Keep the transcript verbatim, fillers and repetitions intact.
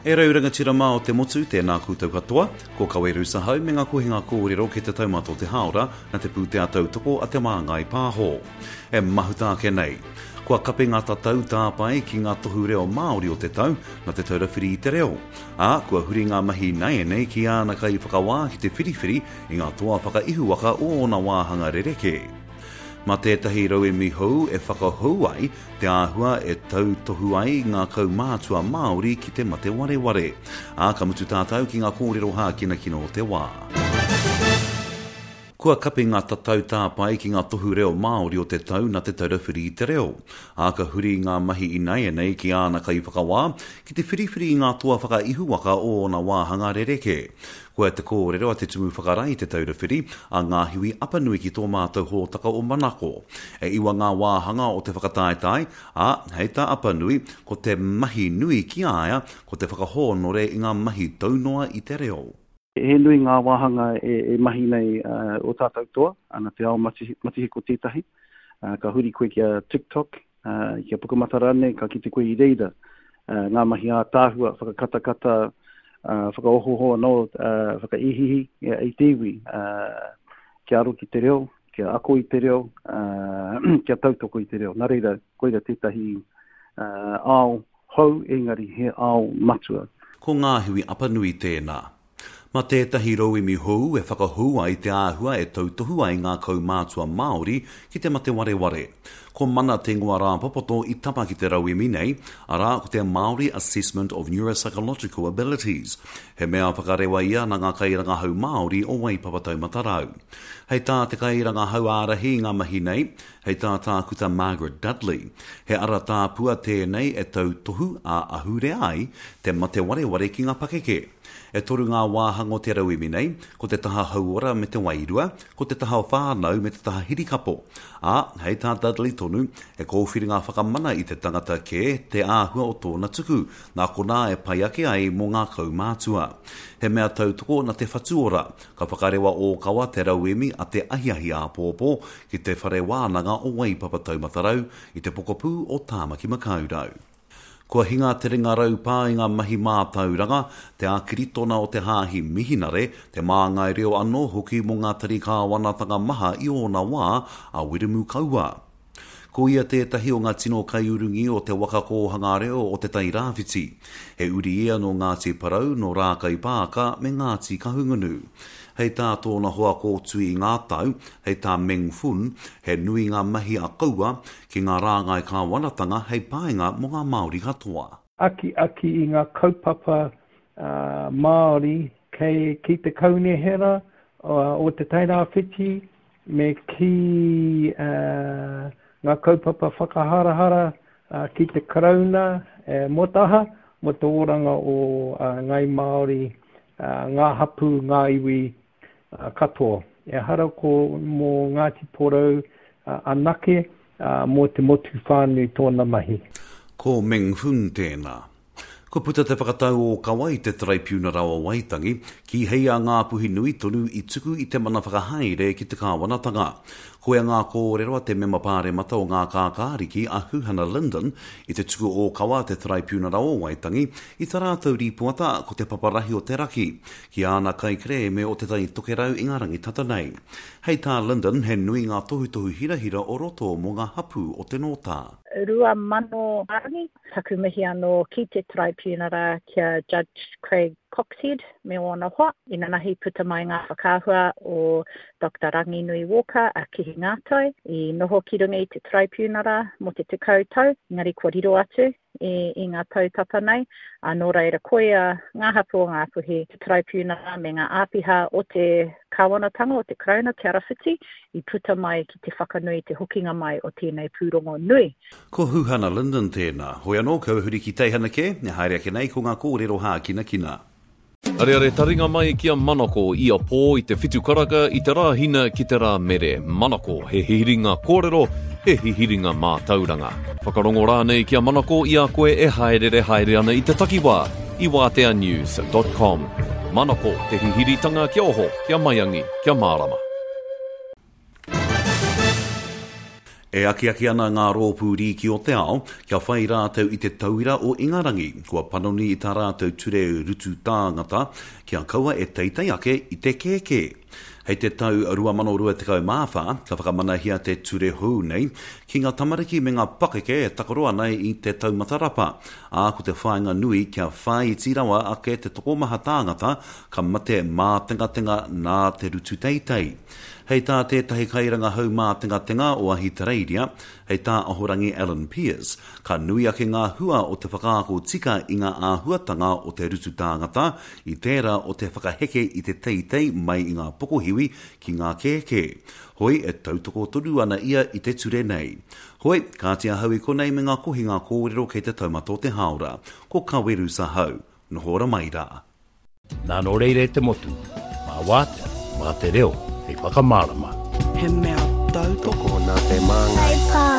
E rau rangatira mā o te motu, tēnā koutou katoa, ko Kawe Rusahau me ngā kohinga kōrero ki te taumata o te hāora na te pūtea tautoko a Te Māngai Pāho. E mahuta ake nei. Kua kapi ngā tatau tāpae ki ngā tohu reo Māori o te tau na Te Taura Whiri i te Reo. Ā, kua huri ngā mahi nāianei ki āna kaiwhakawā ki te whiriwhiri i ngā toa whakaihuwaka o ōna wāhanga rerekē. Mā tētahi rauemi hou e whakahou ai te āhua e tautohu ai ngā kaumātua Māori ki te mate wareware. Ā, ka mutu tātou ki ngā kōrero hākinakina o te wā. Kua kapi ngā tatau tāpae ki ngā tohu reo Māori o te tau na Te Taura Whiri i te Reo. Ā, ka huri ngā mahi ināianei ki āna kaiwhakawā ki te whiriwhiri i ngā toa whakaihuwaka o ōna wāhanga rerekē. Koia te kōrero a te Tumu Whakarae i Te Taura Whiri, a Ngāhiwi Apanui ki tō mātou hōtaka o Manako. E iwa ngā wāhanga o te whakataetae, ā, hei tā Apanui, ko te mahi nui ki a ia, ko te whakahōnore i ngā mahi taunoa i te reo. He nui ngā wāhanga e, e mahi nei uh, o tātou toa, ana te ao matihiko tētahi. Uh, ka huri koe ki a TikTok, uh, ki a Pukamata rānei, ka kite koe i reira uh, ngā mahi ātaahua, whakakatakata, uh, whakaohoho anō, uh, whakaihihi i te iwi, uh, kia aro ki te reo, kia ako i te reo, uh, kia tautoko i te reo. Nā reira, koira tētahi uh, ao hou, engari he ao matua. Ko Ngāhiwi Apanui tēnā. Mā tētahi rauemi hou e whakahou ai te āhua e tautohu ai ngā kaumātua Māori ki te mate wareware. Ko Mana te ingoa rāpopoto i tapa ki te rauemi nei, arā ko te Māori Assessment of Neuropsychological Abilities. He mea whakarewa ia nā ngā kairangahau Māori o Waipapa Taumata Rau. Hei tā te kairangahau ārahi i ngā mahi nei, hei tā tākuta Margaret Dudley, he ara tāpua tēnei e tautohu ā-ahurea ai te mate wareware ki ngā pakeke. E toru ngā wāhanga o te rauemi nei, ko te taha hauora me te wairua, ko te taha whānau me te taha hirikapo. Ā, hei tā Dudley tonu, he kōwhiringa whakamana i te tangata kē te āhua o tōna tuku, nā konā e pai ake ai mō ngā kaumātua. He mea tautoko na Te Whatu Ora, ka whakarewa ōkawa te rauemi a te ahiahi āpōpō ki te whare wānanga o Waipapa Taumata Rau i te pokapū o Tāmaki Makaurau. Kua hinga te ringa raupā i ngā mahi mātauranga, te ākiritona o te hāhi mihinare, te māngai reo anō hoki mō ngā tari kāwanatanga maha i ōna wā, a Wiremu Kaua. Ko ia tētahi o ngā tino kaiurungi o te waka kōhanga reo o Te Tai Rāwhiti. He uri ia nō Ngāti Porou, nō Rākaipaaka me Ngāti Kahungunu. Hei tā tōna hoa kōtui i ngā tau, hei tā Meng Fun, he nui ngā mahi a Kaua ki ngā rāngai kāwanatanga hei painga mō ngā Māori katoa. Akiaki i ngā kaupapa uh, Māori kei, ki te kaunihera uh, o Te Tairāwhiti me ki uh, ngā kaupapa whakaharahara uh, ki te Karauna e, mō taha, mō te oranga o uh, Ngai Māori, uh, ngā hapū, ngā iwi uh, katoa. Ehara ko mō Ngāti Porou uh, anake, uh, mō te motu whānui tōna mahi. Ko Meng Fun tēnā. Kua puta te whakatau ōkawa i te Taraipiunara o Waitangi, kīhei a Ngāpuhi nui tonu i tuku i te mana whakahaere ki te kāwanatanga. Koia ngā kōrero a te mema pāremata o Ngā Kākāriki a Huhana Lyndon i te tuku ōkawa a te Taraipiunara o Waitangi i tā rātou rīpoata ko te paparahi o te raki, ki āna kaikerēme o Te Tai Tokerau i ngā rangi tata nei. Hei tā Lyndon, he nui ngā tohutohu hirahira o roto mō ngā hapū o te Nōtā. Rua mano rangi, taku mihi anō ki te Taraipiunara ki a Judge Craig Coxhead me ōna hoa. Inanahi puta mai ngā whakaahua o Doctor Ranginui Walker a Kihi Ngātai i noho ki runga i te Taraipiunara mō te tekau tau, engari kua riro atu i, i ngā tau tata nei. A nō reira koia ngā hapū o Ngāpuhi, te Taraipiunara me ngā āpiha o te kāwanatanga o te Karauna Te Arawhiti i puta mai ki te whakanui te hokinga mai o tēnei pūrongo nui. Ko Huhana Lyndon tēnā. Hoi anō, kau huri ki teihana kē, e haere ake nei ko ngā kōrero hākinakina. Areare taringa mai ki a Manako i a pō i te whitu karaka i te rāhina ki te rā mere. Manako, he hihiringa kōrero, he hihiringa mātauranga. Whakarongo rānei ki a Manako i a koe e haerere haere ana i te takiwā i wātea news dot com. Manako, te hihiritanga kia oho, kia maiangi, kia mārama. E akiaki ana ngā rōpū rīki o te ao kia whai rātou i te tauira o Ingarangi, kua panoni i tā rātou ture rutu tāngata kia kaua e teitei ake i te kēkē. Hei te tau rua mano rua tekau mā whā, ka whakamanahia te ture hou nei ki ngā tamariki me ngā pakeke e takaro ana i te taumata rapa, ā, ko te whāinga nui kia whāiti rawa ake te tokomaha tāngata ka mate mātengatenga nā te rutu teitei. Hei tā tētahi kairangahau mātengatenga o Ahitereiria, hei tā Ahorangi Alan Peers, ka nui ake ngā hua o te whakaako tika i ngā āhuatanga o te rutu tāngata i tērā o te whakaheke i te teitei mai i ngā pokohiwi ki ngā kēkē. Hoi, e tautoko tonu ana ia i te ture nei. Hoi, kāti ahau i konei me ngā kohinga kōrero kei te taumata o te hāora. Ko Kaweru Sahau. Noho ora mai rā. Nā nō reira e te motu, mā wātea, mā te reo, hei whakamārama. He mea tautoko nā te māngai. Hei pā.